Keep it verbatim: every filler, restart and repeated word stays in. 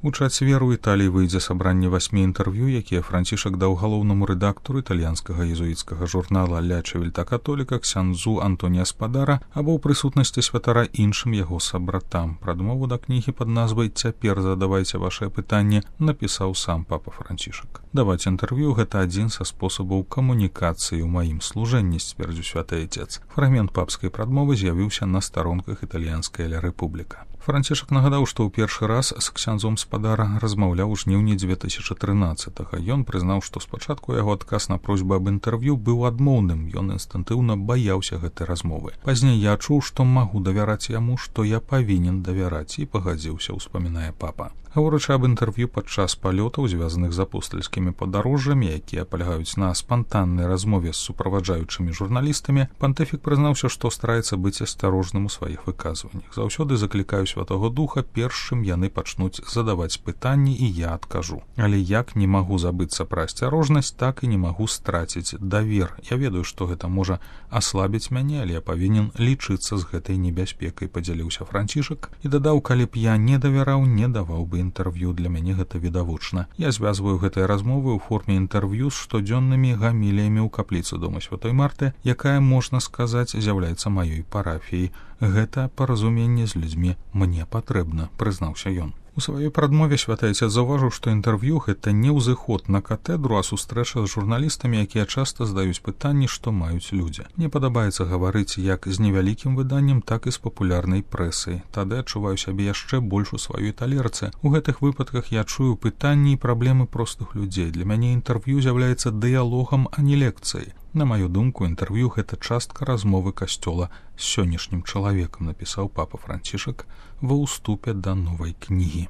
У чацвер у Італіі выйдзе сабранне васьмі інтэрв'ю, якія Францішак даў галоўнаму рэдактару італьянскага езуіцкага журнала «Ля Чевельта Католіка» ксяндзу Антонія Спадара або ў прысутнасці святара іншым яго сабратам. Прадмову да кнігі пад назвай «Цяпер задавайце вашае пытанне» напісаў сам папа Францішак. Даваць інтэрв'ю – гэта адзін са спосабаў камунікацыі ў маім служэнні, сцвердзіў святы айцец. Фрагмент папскай прадмовы з'явіўся на старонках італьянскай «Ля Рэпубліка». Францішак нагадаў, што ў першы раз з ксяндзом Спадара размаўляў у жніўні дзве тысячы трынаццатага. Ён прызнаў, што спачатку яго адказ на просьбу аб інтэрв'ю быў адмоўным, ён інстынктыўна баяўся гэтай размовы. Пазней я чуў, што магу давяраць яму, што я павінен давяраць, і пагадзіўся, успамінае папа. Гаворачы аб інтэрв'ю падчас палётаў, звязаных з апостальскімі падарожжамі, якія палягаюць на спантаннай размове з суправаджаючымі журналістамі, пантыфік прызнаўся, што стараецца быць асцярожным у сваіх выказваннях. Заўсёды заклікаю Святого Духа, першым яны пачнуць задаваць пытанні, і я адкажу. Але як не магу забыцца пра асцярожнасць, так і не магу страціць давер. Я ведаю, што гэта можа аслабіць мяне, але я павінен лічыцца з гэтай небяспекай, падзяліўся Францішак і дадаў, калі б я не давяраў, не даваў бы інтэрв'ю, для мяне гэта відавочна. Я звязваю гэтыя размовы ў форме інтэрв'ю з штодзённымі гаміліямі ў капліцы дома Святой Марты, якая, можна сказаць, з'яўляецца маёй парафіяй. Гэта паразуменне з людзьмі мне патрэбна, прызнаўся ён. У сваёй прадмове святы айцец заўважыў, што інтэрв'ю – гэта не ўзыход на катэдру, а сустрэча з журналістамі, якія часта задаюць пытанні, што маюць людзі. Мне падабаецца гаварыць як з невялікім выданнем, так і з папулярнай прэсай. Тады адчуваю сябе яшчэ больш у сваёй талерцы. У гэтых выпадках я чую пытанні і праблемы простых людзей. Для мяне інтэрв'ю з'яўляецца дыялогам, а не лекцыяй. На маю думку, інтэрв'ю – гэта частка размовы касцёла з сённяшнім чалавекам, напісаў папа Францішак ва ўступе да новай кнігі.